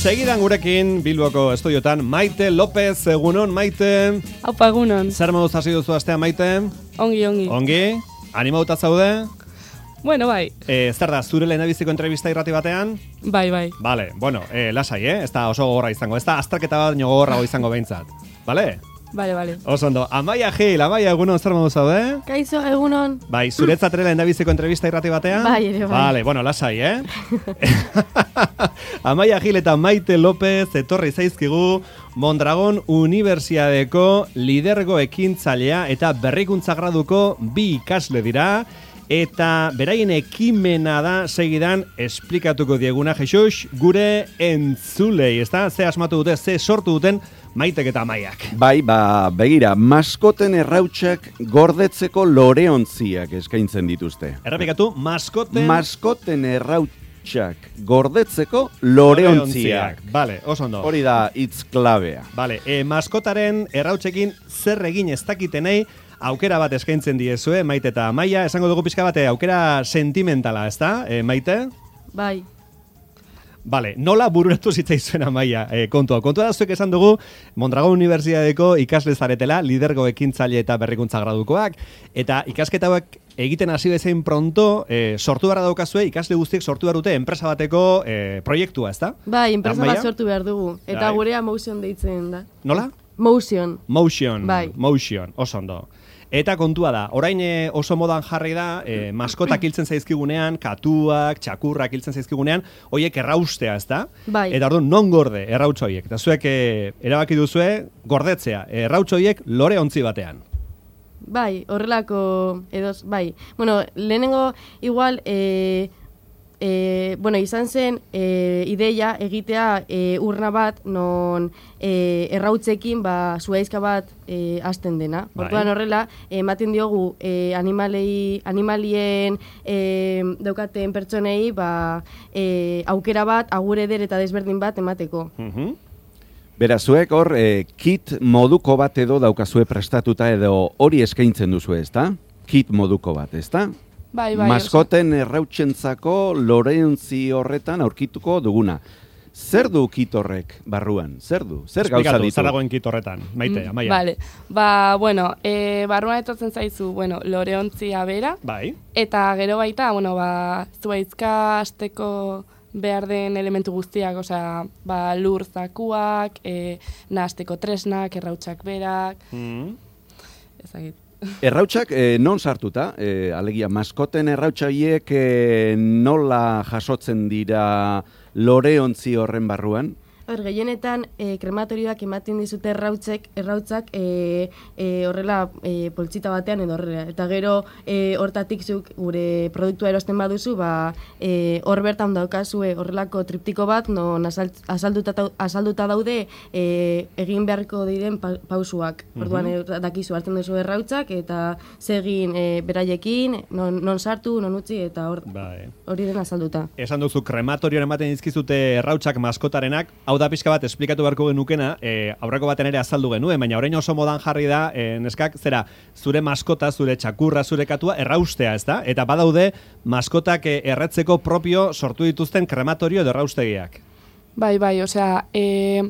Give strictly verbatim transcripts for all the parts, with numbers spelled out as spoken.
Segidan gurekin Bilboko estudiotan Maite López, egunon Maite. Aupa, egunon. Zer moduz hasi duzu astea, Maite? Ongi, ongi. Ongi? Animauta zaude? Bueno, bai. Eh, zer da, zure lehenabiziko entrevista irrati batean? Bai, bai. Vale, bueno, eh, lasai, eh? Ez da oso gogorra izango, ez da azterketa bat nio gogorrago izango behintzat. Vale? Bale, bale. Oso ondo, Amaia Gil, Amaia, egunon, zer moduz zaude? Kaixo, egunon. Bai, zuretzat ere lehendabiziko entrevista irrati batean? Bai, ere, bai. Vale, bueno, lasai, eh? Amaia Gil eta Maite López etorri zaizkigu Mondragon Unibertsiadeko lidergo ekintzailea eta berrikuntza graduko bi ikasle dira. Eta beraien ekimena da segidan esplikatuko dieguna, Jesus, gure entzulei, ezta? Ze asmatu dute, ze sortu duten Maitek eta Amaiak. Bai, ba, begira, maskoten errautsak gordetzeko loreontziak eskaintzen dituzte. Errepikatu, maskoten... Maskoten errautsak gordetzeko loreontziak. Vale, oso ondo. Hori da hitz klabea. Vale, e, maskotaren errautsekin zer egin ez dakitenei, aukera bat eskaintzen diezue, Maite eta Amaia. Esango dugu pixka bate, aukera sentimentala, ezta, e, Maite? Bai. Vale, nola bururatu zitzaizuen Amaia e, kontua. Kontua da zuek esan dugu Mondragon Unibertsitateko ikasle zaretela, lidergo ekintzaile eta berrikuntza gradukoak, eta ikasketa hauek egiten hasi bezain pronto, e, sortu beharra daukazue, ikasle guztiek sortu behar dute enpresa bateko e, proiektua, ezta? Bai, enpresa Amaia? bat sortu behar dugu. Eta Bai. gurea Motion deitzen da. Nola? Motion. Motion, Bai. Motion, oso ondo. Eta kontua da, orain e, oso modan jarri da, e, maskotak hiltzen zaizkigunean, katuak, txakurrak hiltzen zaizkigunean, hoiek erraustea, ez da? Bai. Eta orduan, non gorde errautz hoiek? Eta zuek e, erabaki duzue, gordetzea, errautz hoiek lore ontzi batean. Bai, horrelako edoz, bai. Bueno, lehenengo igual, e, e, bueno, izan zen e, ideia egitea e, urna bat non e, errautzekin ba, zuaizka bat e, hasten dena. Bai. Orduan horrela, ematen diogu e, animalei, animalien e, daukaten pertsonei ba, e, aukera bat, agur eder eta desberdin bat emateko. Mhm. Beraz, zuek hor, e, kit moduko bat edo daukazue prestatuta edo hori eskaintzen duzu, ezta? Kit moduko bat, ezta? Bai, bai. Maskoten errautsentzako loreontzi horretan aurkituko duguna. Zer du kit horrek barruan? Zer du? Zer gauza Esplikatu, ditu? zer dagoen kit horretan, Maite, Amaia. Bale. Ba, bueno, e, barruan etortzen zaizu, bueno, loreontzia bera, Bai. eta gero baita, bueno, ba, zuaizka hasteko behar den elementu guztiak, osea, ba, lur zakuak, e, nahasteko tresnak, errautsak berak, Mm. ezagit. Errautsak eh, non sartuta? Eh, alegia, maskoten errautxaiek eh, nola jasotzen dira loreontzi horren barruan? Hor, gehienetan e, krematorioak ematen dizute errautzek, errautzak e, e, horrela e, poltsita batean edo horrela. Eta gero e, hortatik zuk gure produktua erosten baduzu, ba, e, hor bertan daukazue horrelako triptiko bat, non azalduta, azalduta daude e, egin beharko diren pa, pausuak. Orduan e, dakizu hartzen duzu errautzak eta zegin e, beraiekin, non, non sartu, non utzi eta hor, Bai. hori den azalduta. Esan duzu, krematorioan ematen dizkizute errautsak maskotarenak, hau da pixka bat esplikatu beharko genukena, e, aurreko baten ere azaldu genuen, baina orain oso modan jarri da, e, neskak, zera, zure maskota, zure txakurra, zure katua, erraustea, ez da? Eta badaude, maskotak e, erretzeko propio sortu dituzten krematorio edo erraustegiak. Bai, bai, osea, e,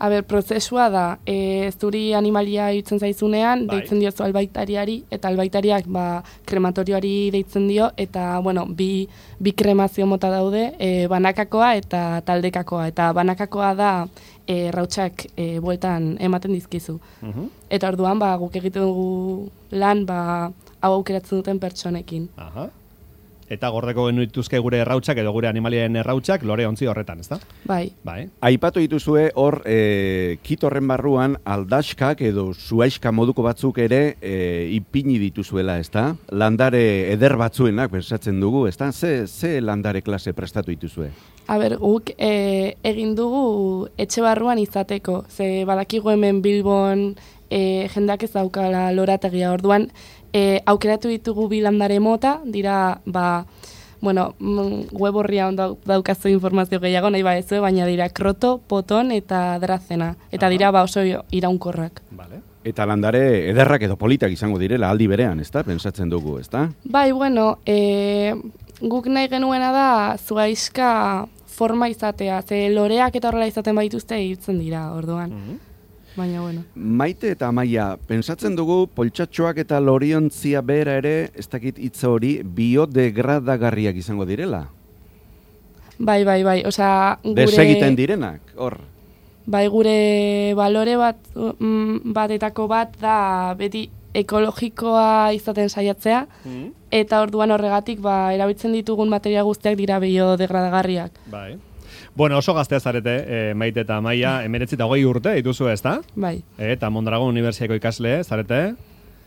a ber, prozesua da, e, zuri animalia hiltzen zaizunean, Bai. deitzen diozu albaitariari, eta albaitariak ba, krematorioari deitzen dio, eta, bueno, bi, bi kremazio mota daude, e, banakakoa eta taldekakoa, eta banakakoa da e, rautsak e, bueltan ematen dizkizu. Mhm. Eta orduan, ba, guk egiten dugu lan, ba, hau aukeratzen duten pertsonekin. Aha. Eta gordeko genituzke gure errautsak edo gure animalien errautsak lore ontzi horretan, ezta? Bai. Bai. Aipatu dituzue hor e, kit horren barruan aldaskak edo zuaiska moduko batzuk ere e, ipini dituzuela, ezta? Landare eder batzuenak bersatzen dugu, ezta? Ze, ze landare klase prestatu dituzue? A ber, guk e, egin dugu etxe barruan izateko, ze badakigu hemen Bilbon e, jendeak ez daukala lorategia, orduan e, aukeratu ditugu bi landare mota, dira, ba, bueno, web horrian daukazu informazio gehiago, nahi ba ez, baina dira kroto, poton eta drazena, eta Aha. dira ba oso iraunkorrak. Vale. Eta landare ederrak edo politak izango direla aldi berean, ezta? Pentsatzen dugu, ezta? Bai, bueno, e, guk nahi genuena da zuaiska forma izatea, ze loreak eta horrela izaten baituzte hiltzen dira, orduan. Mhm. Baina, bueno. Maite eta Amaia, pentsatzen dugu poltsatxoak eta loriontzia bera ere, ez dakit hitz hori, biodegradagarriak izango direla. Bai, bai, bai, osea, gure... Desegiten direnak, hor. Bai, gure balore bat, mm, batetako bat da beti ekologikoa izaten saiatzea, Mhm. eta orduan horregatik ba, erabiltzen ditugun materia guztiak dira biodegradagarriak. Bai. Bueno, oso gaztea zarete, e, Maite eta Amaia, emeretzi eta hogei urte dituzu, ezta? Bai, Eta Mondragon Unibertsiako ikasle, zarete?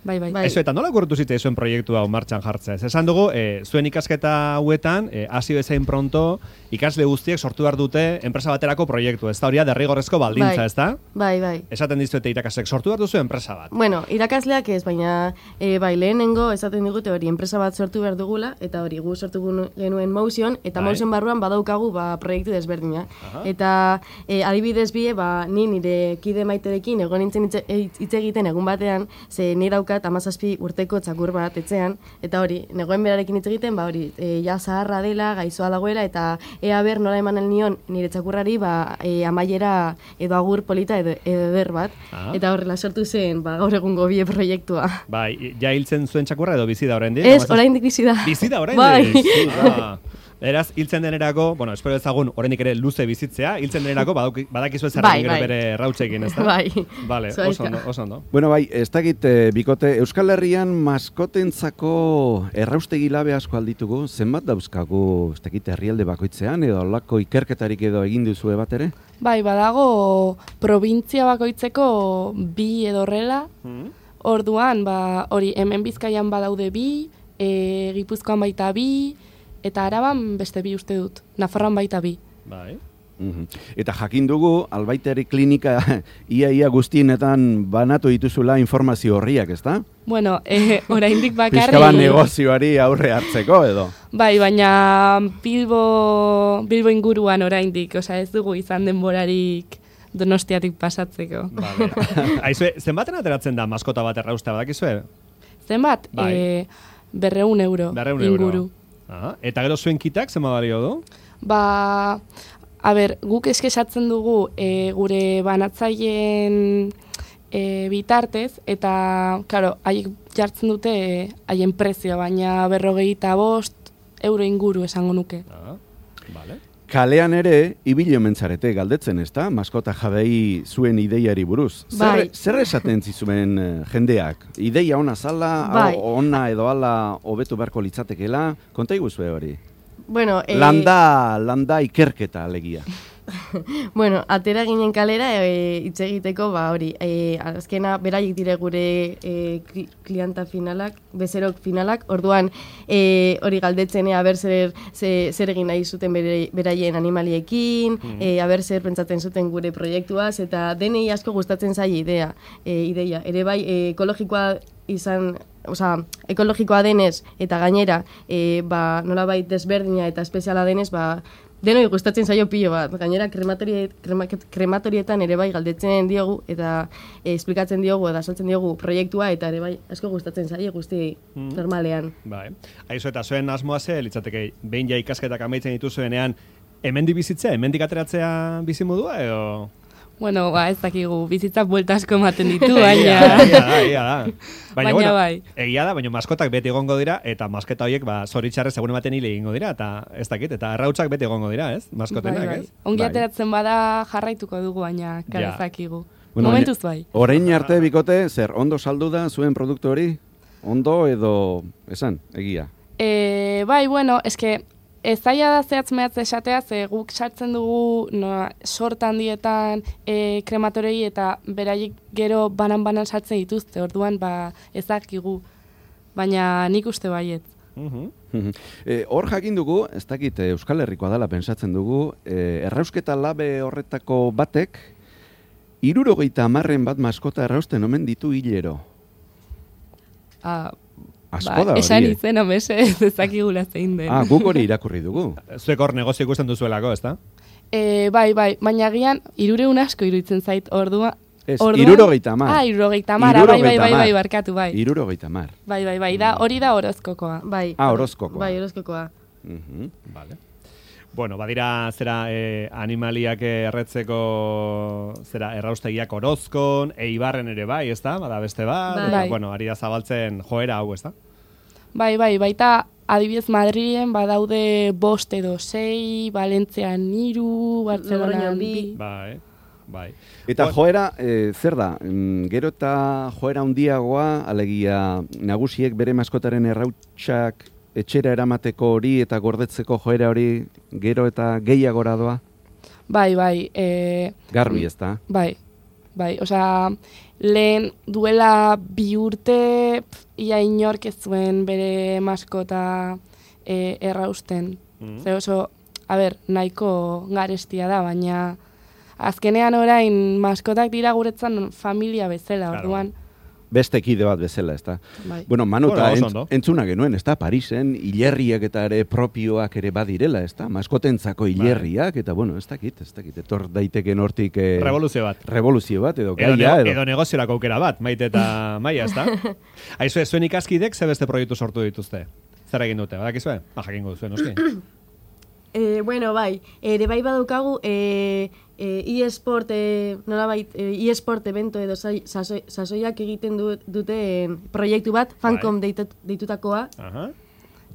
bai, bai. Bai. Eso, eta nola kurtu zite zuen proiektu hau martxan jartzea? Ez esan dugu, e, zuen ikasketa hauetan, e, hasi bezain pronto, ikasle guztiek sortu behar dute enpresa baterako proiektu, ez da hori derrigorrezko baldintza, Bai. ez da? Bai, bai. Esaten dizuete irakasek, sortu behar duzu enpresa bat. Bueno, irakasleak ez, baina e, bai, lehenengo esaten digute hori enpresa bat sortu behar dugula, eta hori gu sortu gu- genuen Motion, eta Bai. Motion barruan badaukagu ba, proiektu desberdina. Aha. Eta e, adibidez bie, ba, ni nire kide Maiterekin egon nintzen hitz- hitz hitz egiten egun batean, ze ni daukat hamazazpi urteko txakur bat etxean, eta hori, negoen berarekin hitz egiten, ba hori, e, ja zaharra dela, gaizoa dagoela, eta ea ber nola eman nion nire txakurrari, ba, e, amaiera edo agur polita edo, edo eder bat, Ah. eta horrela sortu zen, ba, gaur egungo bie proiektua. Bai, ja hiltzen zuen txakurra edo bizi da oraindik? Ez, oraindik bizi da. Bizi da oraindik? Bai. Ah. Eraz, hiltzen denerako, bueno, espero ezagun oraindik ere luze bizitzea, hiltzen denerako badauki- badakizu ez Bai, gero bai. bere rautzekin, ez da? Bai. Vale, oso Zuaizka. ondo, oso ondo. Bueno, bai, ez dakit, eh, bikote, Euskal Herrian maskotentzako erraustegi labe asko alditugu, zenbat dauzkagu, ez dakit, herrialde bakoitzean, edo olako ikerketarik edo egin duzue bat ere? Bai, badago provintzia bakoitzeko bi edo horrela, Mhm. orduan, ba, hori hemen Bizkaian badaude bi, e, Gipuzkoan baita bi, eta Araban beste bi uste dut, Nafarroan baita bi. Bai. Mhm. Eta jakin dugu, albaiteri klinika ia-ia guztienetan banatu dituzula informazio horriak, ezta? Bueno, e, oraindik bakarrik... Pizka bat negozioari aurre hartzeko, edo? Bai, baina Bilbo, Bilbo inguruan oraindik, osea ez dugu izan denborarik Donostiatik pasatzeko. Vale. Aizue, zenbaten ateratzen da maskota bat erraustea, badakizue? Zenbat? Bai. E, berreun euro Berreun inguru. euro. Aha. Eta gero zuen kitak, zenba balio du? Ba, a ber, guk eskesatzen dugu e, gure banatzaileen e, bitartez, eta, claro, haiek jartzen dute e, haien prezioa, baina berrogeita bost euro inguru esango nuke. Ah, vale. Kalean ere, ibili omen zarete galdetzen, ezta? Maskota jabei zuen ideiari buruz. Zer, Bai. zer esaten zizuen eh, jendeak? Ideia ona zala, Bai. o- ona edo ala hobetu beharko litzatekeela? Konta iguzue hori. Bueno, eh, Landa, landa ikerketa alegia. bueno, atera ginen kalera e, hitz egiteko, ba hori, e, azkena beraiek dire gure e, kli- klienta finalak, bezerok finalak, orduan e, hori galdetzen ea ber zer, ze, zer egin nahi zuten bere, beraien animaliekin, Mhm. e, aber zer pentsatzen zuten gure proiektuaz, eta denei asko gustatzen zaie idea, e, ideia. Ere bai, e, ekologikoa izan, osea, ekologikoa denez eta gainera, e, ba, nolabait desberdina eta espeziala denez, ba, denoi gustatzen zaio pilo bat. Gainera krematori, krema, krematorietan ere bai galdetzen diogu eta e, esplikatzen diogu eta saltzen diogu proiektua eta ere bai asko gustatzen zaie guzti Mhm. normalean. Bai. Aizu, eta zuen asmoa ze, litzateke, behin ja ikasketak amaitzen dituzuenean, hemendik bizitzea, hemendik ateratzea bizimodua, edo... Bueno, ba, ez dakigu, bizitzak buelta asko ematen ditu, Egia da, baina... egia da, egia da. Baina, Baina bueno, bai. egia da, baina maskotak beti egongo dira, eta masketa horiek, ba, zoritxarrez egun ematen hile egingo dira, eta ez dakit, eta errautsak beti egongo dira, ez? Maskotenak, Bai, bai. ez? Ongi Bai. ateratzen bada jarraituko dugu, baina Ja. kara ez dakigu. Bueno, Momentuz bai. Orain arte bikote, zer, ondo saldu da zuen produktu hori? Ondo edo, esan, egia? E, bai, bueno, eske ez zaila da zehatz mehatz esatea, ze guk sartzen dugu no, sorta handietan e, krematorei eta beraiek gero banan-banan sartzen dituzte, orduan ba ez dakigu, baina nik uste baiet. Mhm. E, hor jakin dugu, ez dakit eh, Euskal Herrikoa dela pentsatzen dugu, e, errausketa labe horretako batek, hirurogeita hamarren bat maskota errausten omen ditu hilero. Ah, Asko ba, da hori, esan eh? izena mese ez ezakigula zein den. Ah, guk hori irakurri dugu. Zuek hor negozio ikusten duzuelako, ezta? E, bai, bai, baina gian irureun asko iruditzen zait ordua. Ez, orduan- hirurogeita hamar. Ah, irurogeita hamar, bai, bai, bai, bai, Hirurogeita bai, hamar. barkatu, bai. Hirurogeita hamar. Bai, bai, bai, da, hori da orozkokoa. Bai. Ah, orozkokoa. Bai, orozkokoa. Mhm. Vale. Bueno, badira zera eh, animaliak erretzeko zera erraustegiak Orozkon, Eibarren ere bai, ezta? Bada beste bat, Bai. eta, Bai. bueno, ari da zabaltzen joera hau, ezta? Bai, bai, baita adibidez Madrilen badaude bost edo sei, Valentzian hiru, Bartzelonan Logroñon bi. bi. Bai, bai. Eta Bueno. joera, e, zer da? Mm, Gero eta joera handiagoa, alegia nagusiek bere maskotaren errautsak etxera eramateko hori eta gordetzeko joera hori gero eta gehiagora doa? Bai, bai, e, Garbi ez da? bai, bai, osea, lehen duela bi urte pf, ia inork ez zuen bere maskota e, errausten. Mm. Ze oso, a ber, nahiko garestia da, baina azkenean orain maskotak dira guretzan familia bezala, Claro. orduan. Beste kide bat bezala, ez da? Bai. Bueno, Manu, Bueno, eta oso entz, ondo. entzuna genuen, ez da? Parisen, hilerriak eta ere propioak ere badirela, ez da? Maskotentzako hilerriak, eta bueno, ez dakit, ez dakit, etor daiteken hortik... Eh, Revoluzio bat. revoluzio bat, edo Edo, gaia, nego, edo... edo negoziorako aukera bat, Maite eta Maia, ezta? Aizue, zuen ikaskidek ze beste proiektu sortu dituzte? Zer egin dute, badakizue? Ba, jakingo duzuen, noski. E, bueno, bai, ere bai badaukagu e, e, e-sport, e, nolabait, e, e-sport evento edo sai- sasoi- sasoiak egiten du, duten proiektu bat, Fancom deitut, deitutakoa. Aha.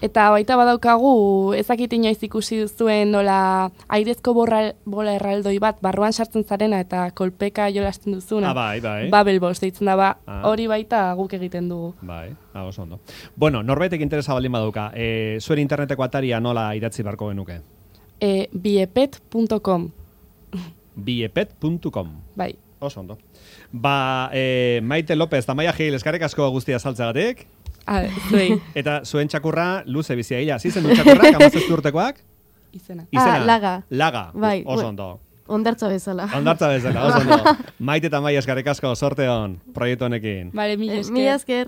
Eta baita badaukagu, ezakit inoiz ikusi duzuen nola airezko borra, bola erraldoi bat barruan sartzen zarena eta kolpeka jolasten duzuna. Ah, bai, bai. Bubble Boss deitzen da, ba, Ah. hori baita guk egiten dugu. Bai, ah, oso ondo. Bueno, norbaitek interesa baldin badauka, e, zuen interneteko ataria nola idatzi barko genuke? E, biepet punto com, biepet punto com. bai. Oso ondo. Ba, e, Maite López eta Maia Gil, eskarek asko guztia saltzegatik. A, zuei, Eta zuen txakurra luze bizia gila. Zizen du txakurrak, amazazpi urtekoak? izena. Izena? Ah, Laga. Laga. Bai, Oso bueno. ondo. Ondartza bezala. Ondartza bezala, oso ondo. Maite eta Maia eskarek asko, sorte hon, proiektu honekin. Bale, mila Eh, esker. Mila esker.